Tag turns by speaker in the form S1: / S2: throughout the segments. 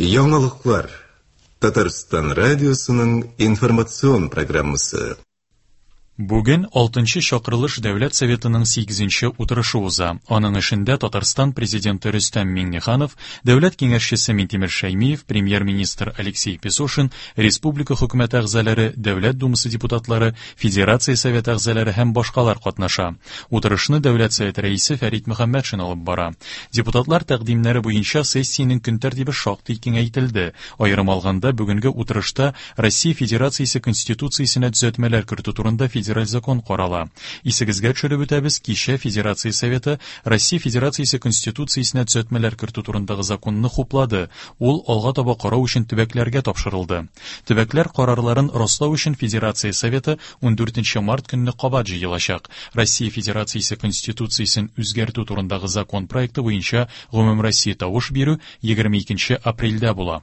S1: Яңалыклар. Татарстан радиосының информацион программасы.
S2: Бүген алтынчы чакырылыш Дәүләт Советының сигезенче утырышы уза. Аның эшендә Татарстан Президенты Рөстәм Миңнеханов, Дәүләт Киңәшчесе Минтимер Шәймиев, Премьер-министр Алексей Песошин, республика Хөкүмәте әгъзалары, Дәүләт Думасы депутатлары, Федерация Советы әгъзалары һәм башкалар катнаша. Утырышны Дәүләт Советы рәисе Фәрит Мөхәммәтшин алып бара. Депутатлар тәкъдимнәре буенча сессиянең көн тәртибе шактый киңәйтелде. Аерым алганда, бүгенге утырышта Россия Федерациясе Конституциясенә төзәтмәләр кертү турында федераль закон карала. Исегезгә төшереп үтәбез, кичә Федерация Советы Россия Федерациясе Конституциясенә төзәтмәләр кертү турындагы законны хуплады. Ул алга таба карау өчен төбәкләргә тапшырылды. Төбәкләр карарларын раслау өчен Федерация Советы 14 март көнне кабат җыелачак. Россия Федерациясе Конституциясен үзгәртү турындагы закон проекты буенча гомумроссия тавыш бирү 22 апрельдә була.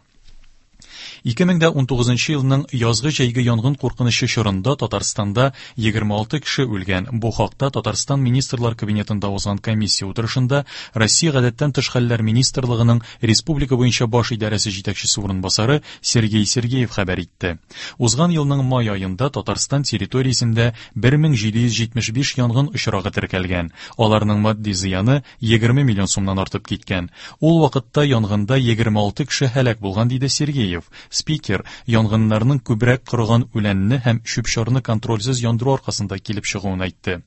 S2: 2019 елның язгы-җәйге янгын куркынычы чорында Татарстанда 26 кеше үлгән. Бу хакта Татарстан Министрлар Кабинетында узган комиссия утырышында Россия Гадәттән тыш хәлләр министрлыгының республика буенча баш идарәсе җитәкчесе урынбасары Сергей Сергеев хәбәр итте. Узган елның май аенда Татарстан территориясендә 1775 янгын очрагы теркәлгән. Аларның матди зыяны 20 миллион сумнан артып киткән. Ул вакытта янгында 26 кеше һәлак булган, диде Сергеев. Спикер янгыннарның күбрәк корыган үләнне һәм чүп-чарны контрольсез яндыру аркасында килеп чыгуын әйтте.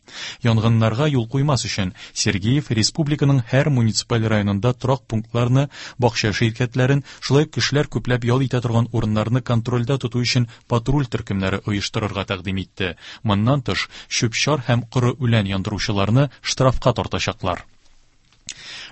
S2: Янгыннарга юл куймас өчен Сергеев республиканың һәр муниципаль районында торак пунктларны, бакча ширкәтләрен, шулай ук кешеләр күпләп ял итә торган урыннарны контрольдә тоту өчен патруль төркемнәре оештырырга тәкъдим итте. Моннан тыш, чүп-чар һәм коры үлән яндыручыларны штрафка тартачаклар.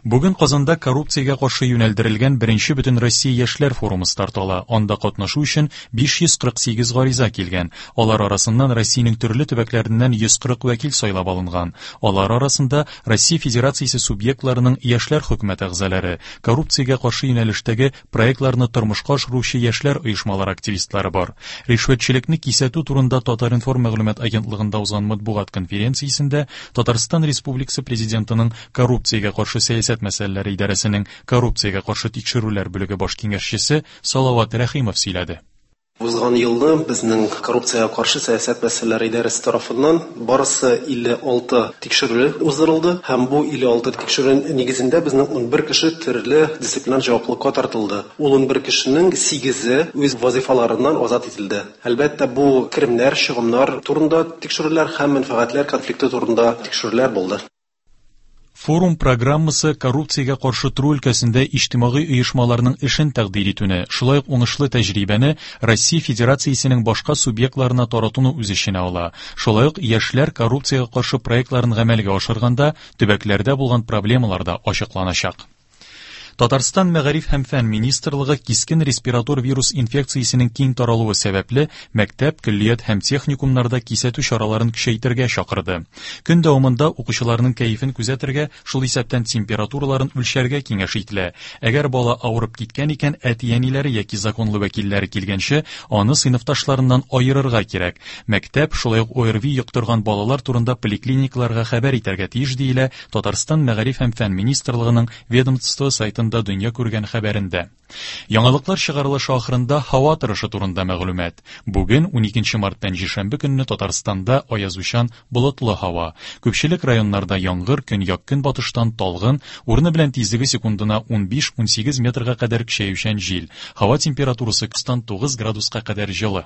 S2: Бүген Казанда коррупциягә каршы юнәлдерелгән беренче Бөтенроссия яшьләр форумы старт ала. Анда катнашу өчен 548 гариза килгән. Алар арасыннан Россиянең төрле төбәкләреннән 140 вәкил сайлап алынган. Алар арасында Россия Федерациясе субъектларының яшьләр хөкүмәте әгъзалары, коррупциягә каршы юнәлештәге проектларны тормышка ашыручы яшьләр оешмалары активистлары бар. Ришвәтчелекне кисәтү турында Татар-информ мәгълүмат агентлыгында узган матбугат конференциясендә Татарстан Республикасы Президентының коррупциягә каршы сәясәт мәсьәләләре идарәсенең коррупциягә каршы тикшерүләр бүлеге баш киңәшчесе Салават Рәхимов сөйләде.
S3: Узган елны безнең коррупциягә каршы сәясәт мәсьәләләре идарәсе тарафыннан барысы 56 тикшерү уздырылды һәм бу 56 тикшерү нигезендә безнең 11 кеше төрле дисциплинар җаваплылыкка тартылды. Ул 11 кешенең сигезе үз вазыйфаларыннан азат ителде. Әлбәттә, бу керемнәр, чыгымнар турында тикшерүләр һәм мәнфәгатьләр конфликты турында тикшерүләр булды.
S2: Форум программасы коррупциягә каршы тору өлкәсендә иҗтимагый оешмаларның эшен тәкъдир итүне, шулай ук уңышлы тәҗрибәне Россия Федерациясенең башка субъектларына таратуны үз эченә ала. Шулай ук яшьләр коррупциягә каршы проектларын гамәлгә ашырганда төбәкләрдә булган проблемалар да ачыкланачак. Татарстан Мәгариф һәм фән министрлыгы кискен респиратор вирус инфекциясенең киң таралуы сәбәпле, мәктәп, көллият һәм техникумнарда кисәтү чараларын көчәйтергә чакырды. Көн дәвамында укучыларның кәефен күзәтергә, шул исәптән температураларын үлчәргә киңәш ителә. Әгәр бала авырып киткән икән, әти-әниләре яки законлы вәкилләре килгәнче, аны сыйныфташларыннан аерырга кирәк. Мәктәп, шулай ук ОРВИ йоктырган балалар турында поликлиникаларга хәбәр итәргә тиеш, диелә Татарстан Мәгариф һәм фән министрлыгының ведомство сайтында дөнья күргән хәбәрендә. Яңалыклар чыгарылышы ахырында һава торышы турында мәгълүмат. Бүген, 12 март пәнҗешәмбе көнне Татарстанда аязучан болытлы һава. Күпчелек районнарда яңгыр, көньяк-көнбатыштан талгын, урыны белән тизлеге секундына 15-18 метрга кадәр көчәючән җил. Һава температурасы 9 градуска кадәр җылы.